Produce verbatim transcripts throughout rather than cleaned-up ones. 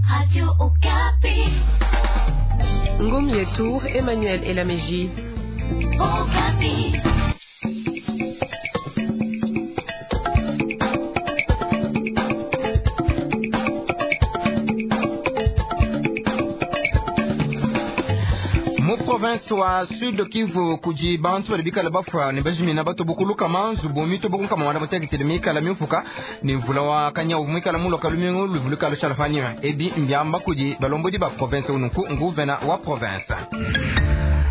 Radio Okapi. Ngom Tour, Emmanuel Elameji. Okapi. Mu province wa Sud Kivu kudi bantu badi bikala bafua ne bajimina batobokuluka manzubu mitobokunkama wanda muteketele mikala miupuka ne mvula wa kanyau muikala muloka lumingu luvuluka lushala panyima ebi mbiamba kudi balombodi ba province unuku nguvena wa province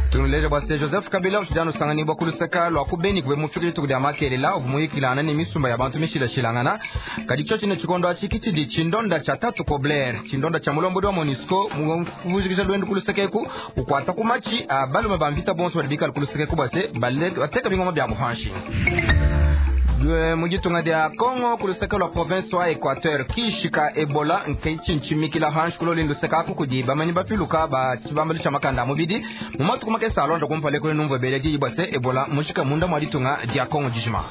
tunuleja bua se Joseph Kabila utshidi usanganibua ku luseka lua ku Beni kube mufika dituku dia makelela uvua muyikilangana ne misumba ya bantu mishilashilangana kadi tshiotshi ne tshikondo atshi kitshidi tshindonda tshia tatu Kobler tshindonda tshia mulombodi wa MONUSCO muvujikija luendu ku luseka eku ukwata ku matshi a balume ba mvita bonso badi bikala ku luseka eku bua se bateka bingoma bia buhanshi mu ditunga dia Congo ku luseka lua province wa Equateur kishika Ebola nketshintshimikila hanshi kuloli luseka aku kudi bamanyi bapiluka ba tshibambalu tshia makanda a mubidi mu matuku makese alonda kumpala kule numvue bele diyi bua se Ebola mushika munda mua ditunga dia Congo dijima.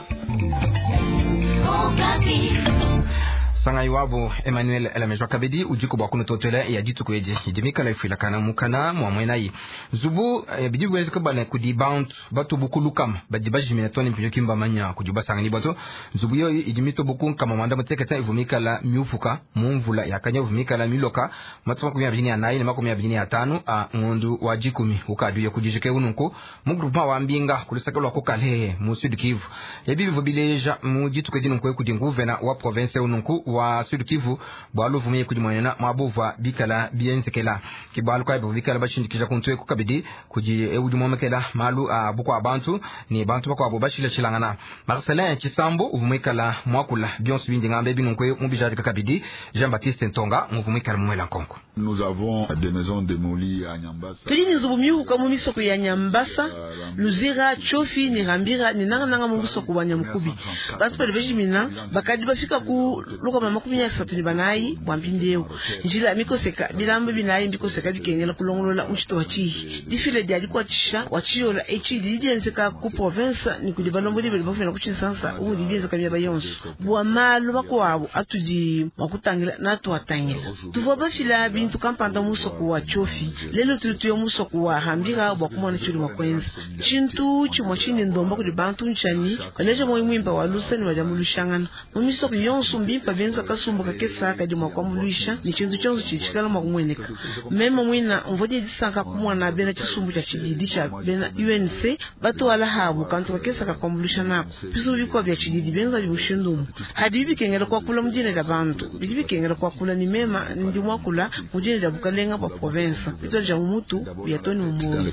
Sangai wabo Emmanuel Elamejwa kabidi udiku bua kunutotela ya dituku edi idi mikala ifuilakana mukana mua muenayi nzubu eh, bidi biwezeka bana kudi bantu batubukulukama badi bajimina tone mpinyo kimbamanya kudi basanganibua to nzubu yoyi idi mitobuku nkama mwanda muteketa ivu mikala miupuka mu mvula yakanya ivu mikala miloka matuku makumi abiri ne anayi ne makumi abiri ne atanu a ngondu wa dikumi ukaduye kudijike ununku mu groupement wa mbinga kulusaka lua ku Kalehe mu Sud Kivu ebi bivua bileja mu dituku edi nunku kudi nguvena wa province ununku wa Sud Kivu bwalu vumye kudi mwenena mwabuva bikala bienzekela kibalu kai bikala bashindikija kuntu eku kabidi kudi ewudi momekela malu a bukwa bantu ni bantu bakwabo bashilashilangana Marcelin Chisambo uvumwikala mwakula bionso bindi ngambe binunku mu bijadika kabidi Jean Baptiste Ntonga muvumwikala mumwela nkonko. Nous avons des maisons démolies à Nyambasa. Tudi ni nzubu miuka mu misoko ya Nyambasa, Luzira, Chofi ni Rambira ni nangananga mu musoko wa Nyamukubi. Bantu bali bejimina bakadi bafika ku lukama makumi asatu ni banayi bwa mpindieu njila mikoseka bilamba binayi mbikoseka bikengela kulongolola muchito wa chihi difile dia dikwatisha wa chiyola echi didi dienzeka ku province ni kudi balombodi bali bafuna ku Tshinsansa umudi bienzeka miaba yonso bua malu makuabu atudi mwakutangila natuatangila tuvua bafila bintu kampanda musoko wa Chofi lelo tudi tuya musoko wa Rambira bua kumona tshidi mua kuenza tshintu tshimue tshindi ndomba kudi bantu ntshani baleja moyo muimpe wa lusa ne badiambuluishangana mu misoko yonso mbimpe benza kasumbu kakesa kadi mua kuambuluisha ne tshintu tshionso tshitshikala mua kumueneka meme mwina mvua disanka kumona bena tshisumbu tshia tshididi tshia bena U N C batwala habu kantu kakesa kakuambuluisha nako bisu bikwa bya tshididi benza bibushindumu hadi bikengela kwakula mudine da bantu bidi bikengela kwakula ni mema ndi mwakula mudine da bukalenga bwa province bitolja mumutu byatoni mumu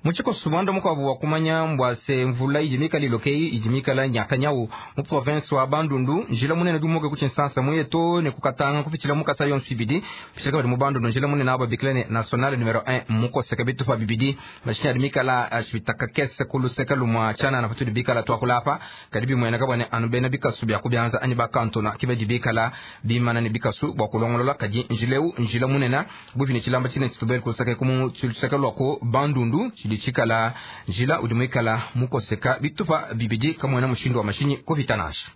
muchiko mwanda mukwabo wa kumanya mbwase mvula idi mikala ilokeyi idi mikala nyakanyau mu province wa Bandundu njila munene dumuke ku Tshinsansa muye to ne kukatanga kupitshila mukasa yonso ibidi kupitshila kabidi mu Bandundu njila munene aba bikila ne national numero un mukoseka bitupa bibidi mashinya adi mikala ashitaka kese kuluseka lumwa chana na patudi bikala twakula apa kadi bimwena kabwane anu bena bikasu bya kubyanza anyi bakantona kibadi bikala bimana ne bikasu bwa kulongolola kadi njileu njila munene buvine tshilamba tshine tshitubele kuluseka kumu luseka lwa ku Bandundu chikala njila udi muikala mukoseka bitupa bibidi kamwena mushindu wa mashinyi kuvitanasha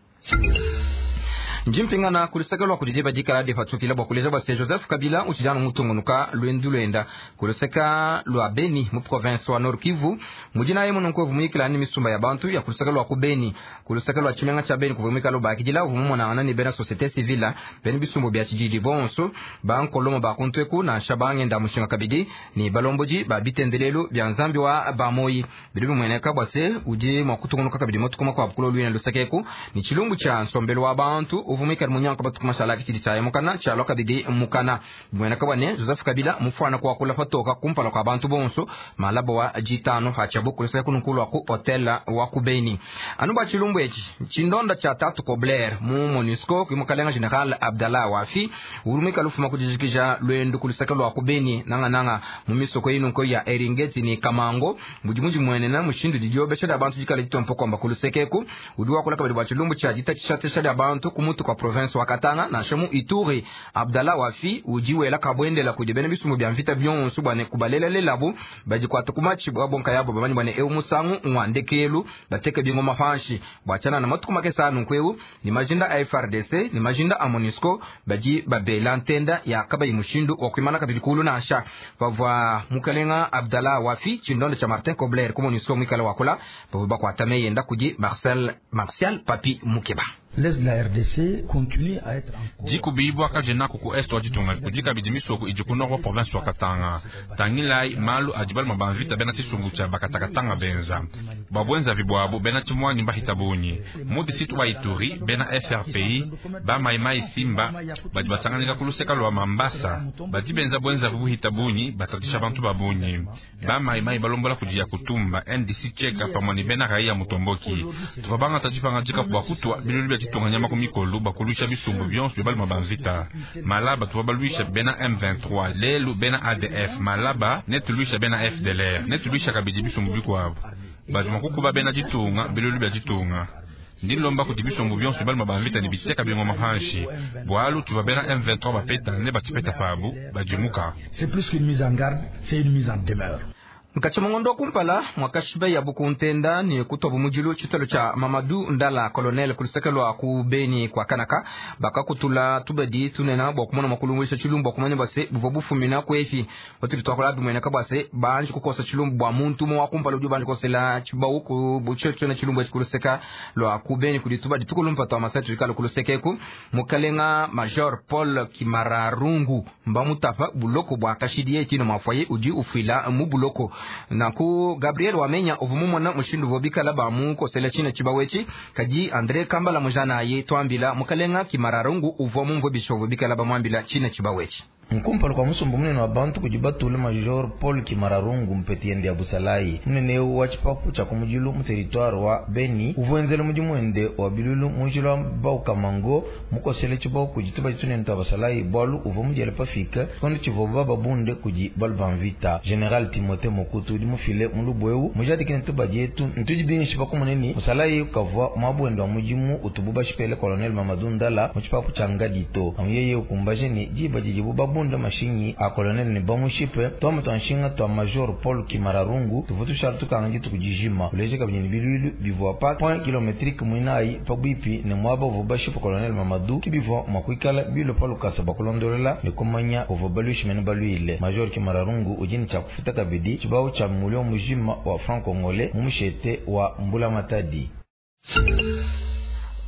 njimpingana kuluseka lwa kudi diba dikala dipatukila bua kuleja bua se Joseph Kabila utshidi mutungunuka luendu luenda kuluseka lua Beni mu province wa Nord Kivu mudinaye mununku muyikila ni misumba ya bantu ya kuluseka lwa ku Beni kuluseka lwa tshimenga tshia Beni kuvua muikala ubakidila uvua mumonangana ne bena société civile bena bisumbu bia tshididi bonso bankolomo bakuntu eku nansha bangenda mushinga kabidi ni balombodi ba bitendelelu bia nzambi wa bamoyi bidi bimueneka bua se udi mua kutungunuka kabidi matuku makuabu kulo luina luseka eku ni tshilumbu tshia nsombelu wa bantu uvumika munyanka batuku mashala kitshidi tshaye mukana tshialua kabidi mukana bimueneka bua ne Joseph Kabila mufuana kuakula patoka kumpala kua bantu bonso malabo wa jitano hachabu kuluseka kununkulu wa ku hotel wa ku Beni anu bua tshilumbu etshi tshindonda tshia tatu Kobler mu MONUSCO kui mukalenga general Abdallah Wafi ulumika lufuma kudijikija luendu kuluseka lua ku Beni nangananga mu misoko inunko ya Eringeti ni Kamango mudi mudi muenena mushindu didiobesha dia bantu dikala ditompo kwamba kulusekeku udi wakula kabidi bua tshilumbu tshia ditatshisha dia bantu kumutu mutu kwa province wa Katanga nansha mu Ituri. Abdallah Wafi udi wela kabwendela kudi bena bisumbu bya mvita byonso bwane kubalelelelabu badikwata ku matshi bwa bonka yabo bamanyi bwane eu musangu ngwandekelu bateke bingoma panshi bwachana na matuku makesa nunkweu ni majinda a F R D C ni majinda a MONUSCO baji babela ntenda ya kabayi mushindu wa kuimana kabili kulu nasha bavwa mukalenga Abdallah Wafi chindondo cha Martin Kobler ku MONUSCO mwikala wakula bavwa bakwatame yenda kuji Marcel Martial Papi Mukeba. L'Est de la R D C continue à être encore Dikubibwa kajenaku ku est wa ditunga kudika bidi misoko idi ku nord wa province wa Katanga tangilai malu adi baluma ba mvita bena tshisungu tshia bakatakatanga benza babwenza vibwabo bena tshimwanyi mbahita bunyi mu disitu wa Ituri bena F R P I ba maimai Simba badi basanganika ku luseka lwa Mambasa badi benza bwenza buhita bunyi batatisha bantu ba bunyi ba maimai balombola kudia kutumba N D C cheka pamwe ni bena raia mutomboki tuvabanga tadipanga dika bwa kutwa bilulu bya tonganyama ku mikolo bakulusha bisumbu byonso bya baluma ba mvita malaba tubabaluisha bena M vingt-trois lelu bena A D F malaba netulusha bena F D L R netulusha kabidi bisumbu bikwabo bajuma kukuba bena ditunga bilulu bya ditunga ndilomba kuti bisumbu byonso bya baluma ba mvita ni biteka bingoma panshi bwalu tuba bena M vingt-trois bapeta ne batipeta pabu bajimuka. C'est plus qu'une mise en garde, c'est une mise en demeure. Nkachimongondo kumpala mwakashiba ya bukuntenda ni kutobu mujilu chitalo cha Mamadou Ndala colonel kulisekelwa ku Beni kwa Kanaka bakakutula tubadi tunena bwa kumona makulungwisha chilumbu kumanya base buvo bufumina kwefi watuli twakola bimwene kabase banji kukosa chilumbu bwa muntu mu wakumpala uju banji kosela chibau ku buchecho na chilumbu chikuluseka lwa ku Beni kulitubadi tukulumpa twa masatu ikalo kulusekeku mukalenga Major Paul Kimararungu mbamutafa buloko bwa kashidi chino mafoye uji ufila mu buloko naku Gabriel Wamenya ovumumona mushindu vobikala bamu kosela china chibawechi kaji Andre Kambala mujana ye twambila mukalenga Kimararungu uvwa mumvo bishovo bikala bamwambila china chibawechi. Nkumpala kwa musumbu munene wa bantu kujibatula Major Paul Kimararungu mpetiende ya Busalai munene wa chipapu cha kumujilu mu territoire wa Beni uvuenzele muji mwende wa bilulu munjila wa Baukamango mukosele chibau kujituba chitunene twa Basalai bwalu uvo mujele pafika kondo chivoba babunde kuji balu bamvita General Timothée Mokutu udi mufile mulubweu mujadikine tuba jetu ntudi binshi pakumuneni Musalai kavwa mwabwendo wa mujimu utubu bashipele Colonel Mamadou Ndala mu chipapu cha Ngadito amuyeye ukumbaje ni jiba jijibu babu bunda mashinyi a colonel ni bamushipe twa twanshinga twa Major Paul Kimararungu tuvutu shartu kangi tukujijima uleje kabini bilulu bivwa pa point kilometrique mwinai pabwipi ne mwaba vubashipe colonel Mamadou kibivwa mwakwikala bilo palukasa bakulondolela ne kumanya uvubalushi mene baluile Major Kimararungu ujini cha kufuta kabidi chibao cha mulio mujima wa franc congolais mumushete wa Mbula Matadi.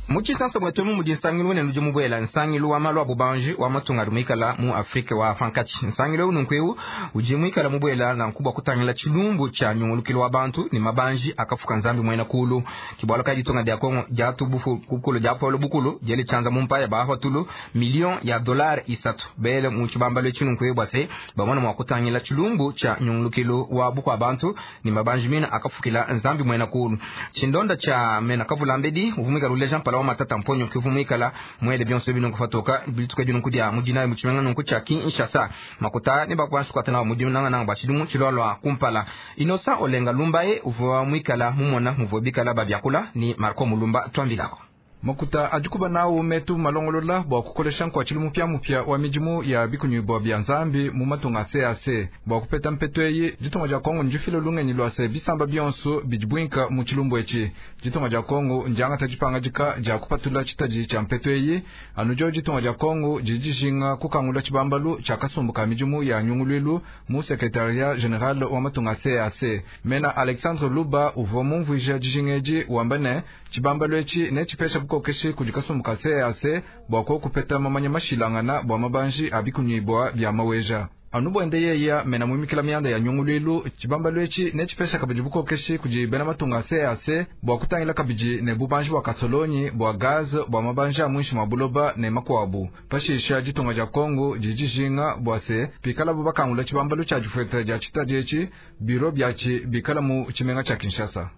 Muchisanso bwetwemu mudi nsangilu wene nudi mubwela nsangilu wa malu abubanji wa matunga rumikala mu Afrika wa Fankachi nsangilu nunkweu udi mwikala mubwela na nkubwa kutangila chilumbu cha nyungulukilo wa bantu ni mabanji akafuka nzambi mwena kulu kibwalo ka ditonga dia Kongo dia tubufu kukulu dia polo bukulu jeli chanza mumpaya ba hotulu million ya dollar isatu bele mu chibambalo chinunkweu bwase bamwana mwa kutangila chilumbu cha nyungulukilo wa bukwa bantu ni mabanji mina akafukila nzambi mwena kulu chindonda cha mena kavulambedi uvumika rule Jean Paul matata mponyo kivumikala mwele byonse binongo fatoka bilituka binongo dia mujina muchimenga nongo cha Kinshasa makuta ne bakwansu kwatana mujina nanga nanga bachidumu chilwalwa kumpala Inosa Olenga Lumbaye uvuwa mwikala mumona muvobikala babyakula ni Marco Mulumba twambilako. Makuta adikuba nawo metu malongolola bwa kukolesha nkwachili mupya mupya wa mijimu ya bikunyibwa bya nzambi mu matunga C A C bwa kupeta mpeto eyi ditunga dia Kongo ndifile lungenyi lwase bisamba byonso bidibwinka mu chilumbu echi ditunga dia Kongo ndiangata dipangajika dia kupatula chitaji cha mpeto eyi anujo ditunga dia Kongo didijinga kukangula chibambalu cha kasumbu ka mijimu ya nyungulwilu mu secrétariat général wa matunga C A C mena Alexandre Luba uvua mumvuija dijingeji wambane chibambalu echi ne chipesha bukokeshi kujikasumbu ka C A C bwa ko kupeta mamanya mashilangana bwa mabanji abikunyibwa bya maweja anubwende yeya mena mwimikila myanda ya nyungulwilu chibambalu echi ne chipesha kabidi bukokeshi kujibena matunga C A C bwa kutangila kabidi ne bubanji bwa kasolonyi bwa gaz bwa mabanji a mwinshi mwa buloba ne makwabu pashisha ditunga dia Kongo didijinga bwa se pikala bubakangula chibambalu cha difweta dia chitaji echi biro byachi bikala mu chimenga cha Kinshasa.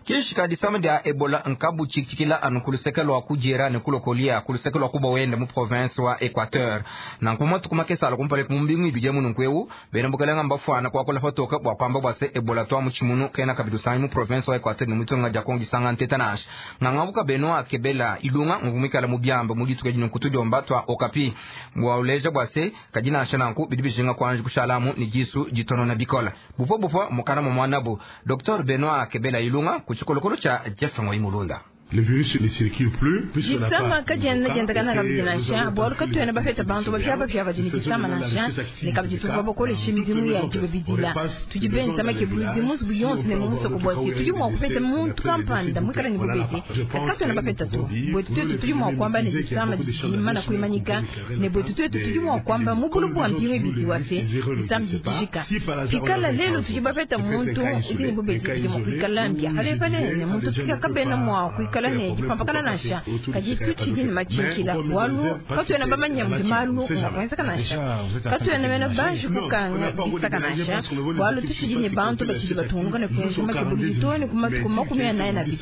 Kishika disama dia Ebola nkabu tshikila anu kuluseke lwa kujera ne kulokolia kuluseke lwa kuba wenda mu province wa Equateur. Nanku matuku makese ala kumpala ku mbingu ibidi mu nunku bena bukalenga mbafwana kwakola patoka bwa kwamba bwa se Ebola twa mu tshimunu kena kabidi usangi mu province wa Equateur ne mutunga dia Kongo disanga nteta nansha. Ngangabuka Benoit Kebela Ilunga ngumikala mu byamba mu dituka dino kutudiomba twa Okapi. Bwa uleja bwa se kadina nansha nanku bidi bijinga kwanje kushalamu ni jisu jitonona bikola. Bupo bupo mukana mu mwanabo Docteur Benoit Kebela Ilunga kuchikolokolo cha Jeff Ngoyi Mulunda. Le virus ne circule plus. Disama kadiena diendakana kabidi nansha bualu katuena bapeta bantu bapiabapia badi ne disama nansha ne kabidi tuvua bakolesha midimu ya dibabidila tudi benza makebuluzi muzubu yonso ne mu musoko bua se tudi mua kupeta muntu kampanda muikala ne bubedi kadi katuena bapeta to buetu tuetu tudi mua kuamba ne disama didi kuimanyika ne buetu tuetu tudi mua kuamba mu bulu bua mpingu ibidi wa se disama didi jika pikala lelu tudi bapeta muntu udi ne bubedi bidi mua kuikala mbia palepale ne muntu kabena mua kuikala ne dipampakana nansha kadi tutshidi ne matshinkila bualu katuena bamanya mudi malu mua kuenzeka nansha katuena mena banji kukanga bisaka nansha bualu tutshidi ne bantu batshidi batungunuka ne kuenza makebuluzi too ne ku matuku makumi anayi na abidi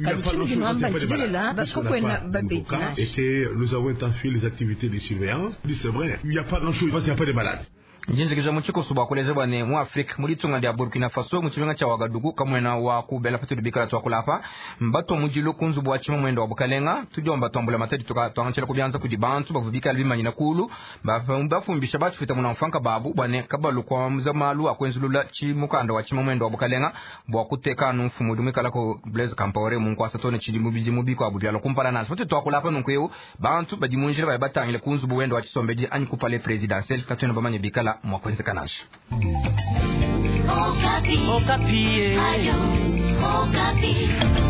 kadi tshinudi nuamba ntshilelela kakuena babedi nansha. Nous avons intensifié les activités de surveillance. C'est vrai, il n'y a pas grand-chose parce qu'il n'y a pas de malades. Njinjikija mu tshikoso bua kuleza bua ne mu Afrika mu ditunga dia Burkina Faso mu tshimenga tshia Ouagadougou kamwena wa kubela patudi bikala tuakulapa mbatwa mudilu ku nzubu wa tshima mwendo wa bukalenga tudiomba tuambula matadi tuangantshila kubianza kudi bantu bavua bikala bimanyina kulu bafumbisha batshifita muna mfanka babu bua ne kabalu kuamuza malu akuenzulula tshimukanda wa tshima mwendo wa bukalenga bua kuteka anu mfumu udi muikala ku Blaise Compaoré mu nkuasa tone tshidi mu bidimu bikuabu bialua kumpala nansha patudi tuakulapa nunku eu bantu badi mu njila baya batangile ku nzubu wendo wa tshisombedi anyi ku palais présidentiel katuena bamanye bikala mwakwenzeka nansha. Okapi. Okapi. Ayo, Okapi.